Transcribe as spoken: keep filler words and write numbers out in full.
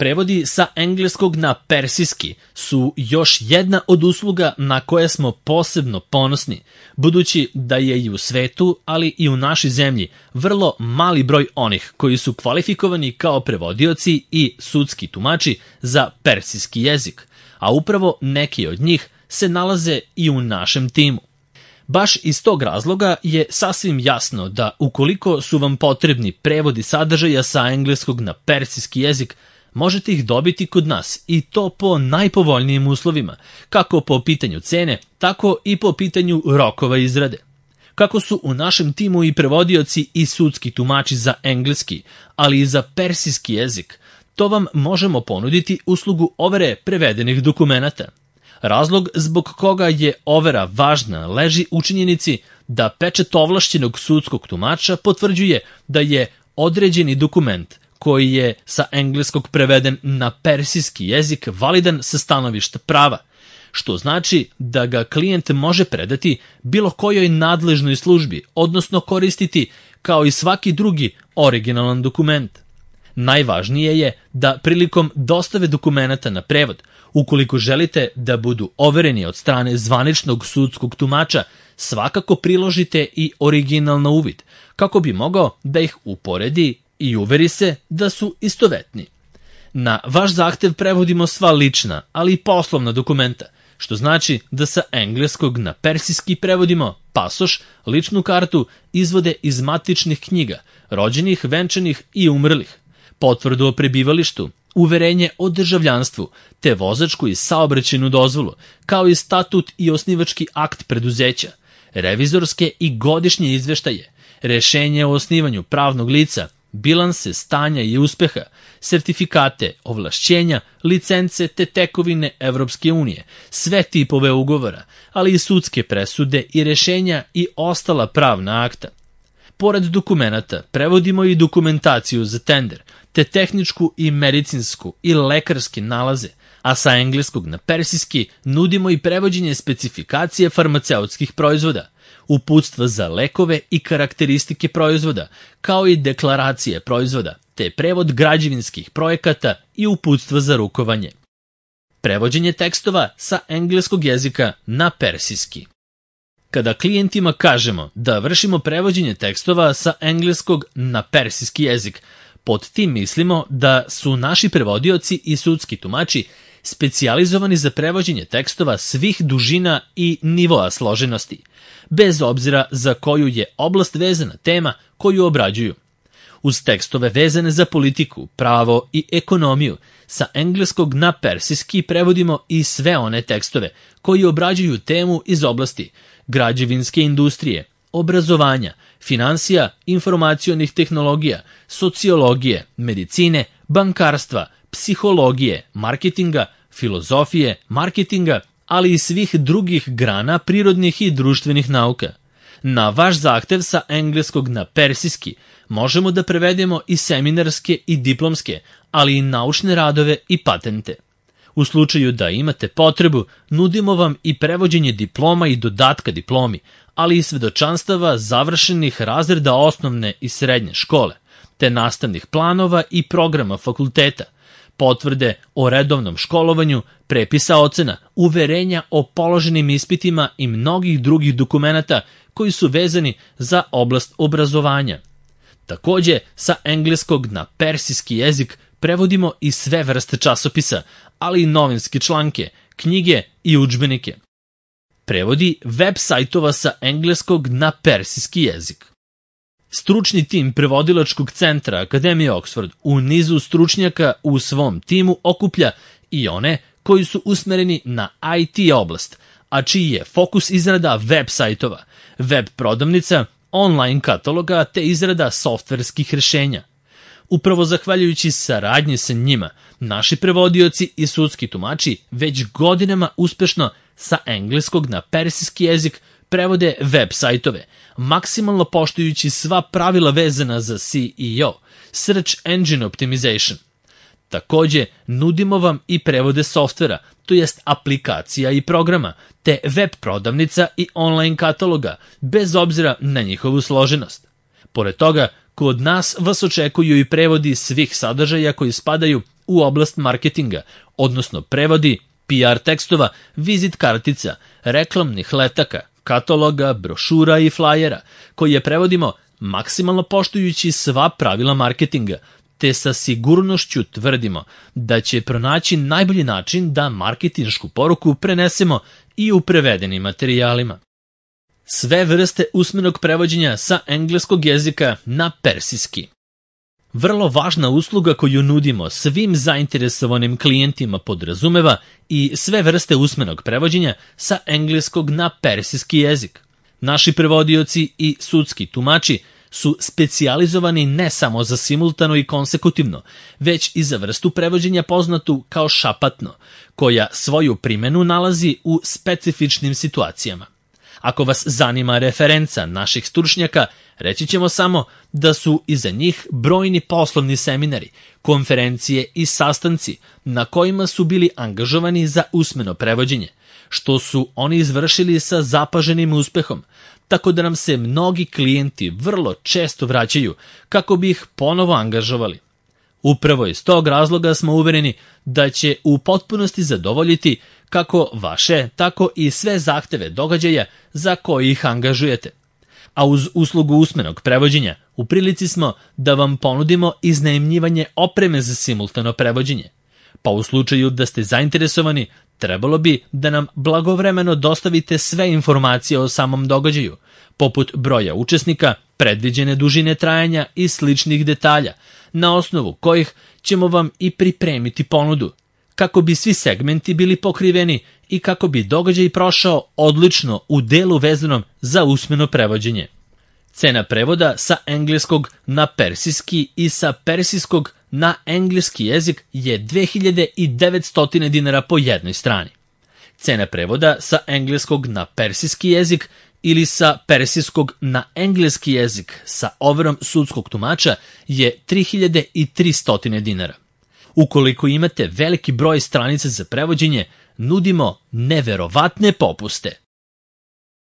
Prevodi sa engleskog na persijski su još jedna od usluga na koje smo posebno ponosni, budući da je i u svetu, ali i u našoj zemlji, vrlo mali broj onih koji su kvalifikovani kao prevodioci i sudski tumači za persijski jezik, a upravo neki od njih se nalaze i u našem timu. Baš iz tog razloga je sasvim jasno da ukoliko su vam potrebni prevodi sadržaja sa engleskog na persijski jezik, možete ih dobiti kod nas i to po najpovoljnijim uslovima, kako po pitanju cene, tako i po pitanju rokova izrade. Kako su u našem timu i prevodioci i sudski tumači za engleski, ali i za persijski jezik, to vam možemo ponuditi uslugu overe prevedenih dokumenata. Razlog zbog koga je overa važna leži u činjenici da pečat ovlašćenog sudskog tumača potvrđuje da je određeni dokument koji je sa engleskog preveden na persijski jezik validan sa stanovišta prava, što znači da ga klijent može predati bilo kojoj nadležnoj službi, odnosno koristiti kao i svaki drugi originalan dokument. Najvažnije je da prilikom dostave dokumenata na prevod, ukoliko želite da budu overeni od strane zvaničnog sudskog tumača, svakako priložite i original na uvid, kako bi mogao da ih uporedi i uveri se da su istovetni. Na vaš zahtev prevodimo sva lična, ali i poslovna dokumenta, što znači da sa engleskog na persijski prevodimo pasoš, ličnu kartu, izvode iz matičnih knjiga, rođenih, venčanih i umrlih, potvrdu o prebivalištu, uverenje o državljanstvu, te vozačku i saobraćajnu dozvolu, kao i statut i osnivački akt preduzeća, revizorske i godišnje izveštaje, rešenje o osnivanju pravnog lica, bilanse stanja i uspeha, sertifikate, ovlašćenja, licence te tekovine Evropske unije, sve tipove ugovora, ali i sudske presude i rešenja i ostala pravna akta. Pored dokumenata, prevodimo i dokumentaciju za tender, te tehničku i medicinsku i lekarske nalaze, a sa engleskog na persijski nudimo i prevođenje specifikacije farmaceutskih proizvoda, uputstva za lekove i karakteristike proizvoda, kao i deklaracije proizvoda, te prevod građevinskih projekata i uputstva za rukovanje. Prevođenje tekstova sa engleskog jezika na persijski. Kada klijentima kažemo da vršimo prevođenje tekstova sa engleskog na persijski jezik, pod tim mislimo da su naši prevodioci i sudski tumači specijalizovani za prevođenje tekstova svih dužina i nivoa složenosti, bez obzira za koju je oblast vezana tema koju obrađuju. Uz tekstove vezane za politiku, pravo i ekonomiju, sa engleskog na persijski prevodimo i sve one tekstove koji obrađuju temu iz oblasti građevinske industrije, obrazovanja, finansija, informacionih tehnologija, sociologije, medicine, bankarstva, psihologije, marketinga, filozofije, marketinga, ali i svih drugih grana prirodnih i društvenih nauka. Na vaš zahtev sa engleskog na persijski možemo da prevedemo i seminarske i diplomske, ali i naučne radove i patente. U slučaju da imate potrebu, nudimo vam i prevođenje diploma i dodatka diplomi, ali i svedočanstava završenih razreda osnovne i srednje škole, te nastavnih planova i programa fakulteta, potvrde o redovnom školovanju, prepisa ocena, uverenja o položenim ispitima i mnogih drugih dokumenata koji su vezani za oblast obrazovanja. Takođe, sa engleskog na persijski jezik prevodimo i sve vrste časopisa, ali i novinske članke, knjige i udžbenike. Prevodi web sajtova sa engleskog na persijski jezik. Stručni tim prevodilačkog centra Akademije Oxford u nizu stručnjaka u svom timu okuplja i one koji su usmereni na I T oblast, a čiji je fokus izrada web sajtova, web prodavnica, online kataloga te izrada softverskih rešenja. Upravo zahvaljujući saradnji sa njima, naši prevodioci i sudski tumači već godinama uspešno sa engleskog na persijski jezik prevode web sajtove, maksimalno poštujući sva pravila vezana za S E O, Search Engine Optimization. Takođe, nudimo vam i prevode softvera, to jest aplikacija i programa, te web prodavnica i online kataloga, bez obzira na njihovu složenost. Pored toga, kod nas vas očekuju i prevodi svih sadržaja koji spadaju u oblast marketinga, odnosno prevodi P R tekstova, vizit kartica, reklamnih letaka, kataloga, brošura i flajera, koje prevodimo maksimalno poštujući sva pravila marketinga, te sa sigurnošću tvrdimo da će pronaći najbolji način da marketinšku poruku prenesemo i u prevedenim materijalima. Sve vrste usmenog prevođenja sa engleskog jezika na persijski. Vrlo važna usluga koju nudimo svim zainteresovanim klijentima podrazumeva i sve vrste usmenog prevođenja sa engleskog na persijski jezik. Naši prevodioci i sudski tumači su specijalizovani ne samo za simultano i konsekutivno, već i za vrstu prevođenja poznatu kao šapatno, koja svoju primenu nalazi u specifičnim situacijama. Ako vas zanima referenca naših stručnjaka, reći ćemo samo da su iza njih brojni poslovni seminari, konferencije i sastanci na kojima su bili angažovani za usmeno prevođenje, što su oni izvršili sa zapaženim uspehom, tako da nam se mnogi klijenti vrlo često vraćaju kako bi ih ponovo angažovali. Upravo iz tog razloga smo uvereni da će u potpunosti zadovoljiti kako vaše, tako i sve zahteve događaja za koje ih angažujete. A uz uslugu usmenog prevođenja u prilici smo da vam ponudimo iznajmljivanje opreme za simultano prevođenje. Pa u slučaju da ste zainteresovani, trebalo bi da nam blagovremeno dostavite sve informacije o samom događaju, poput broja učesnika, predviđene dužine trajanja i sličnih detalja, na osnovu kojih ćemo vam i pripremiti ponudu, kako bi svi segmenti bili pokriveni i kako bi događaj prošao odlično u delu vezanom za usmeno prevođenje. Cena prevoda sa engleskog na persijski i sa persijskog na engleski jezik je dve hiljade devetsto dinara po jednoj strani. Cena prevoda sa engleskog na persijski jezik ili sa persijskog na engleski jezik sa overom sudskog tumača je tri hiljade tristo dinara. Ukoliko imate veliki broj stranica za prevođenje, nudimo neverovatne popuste.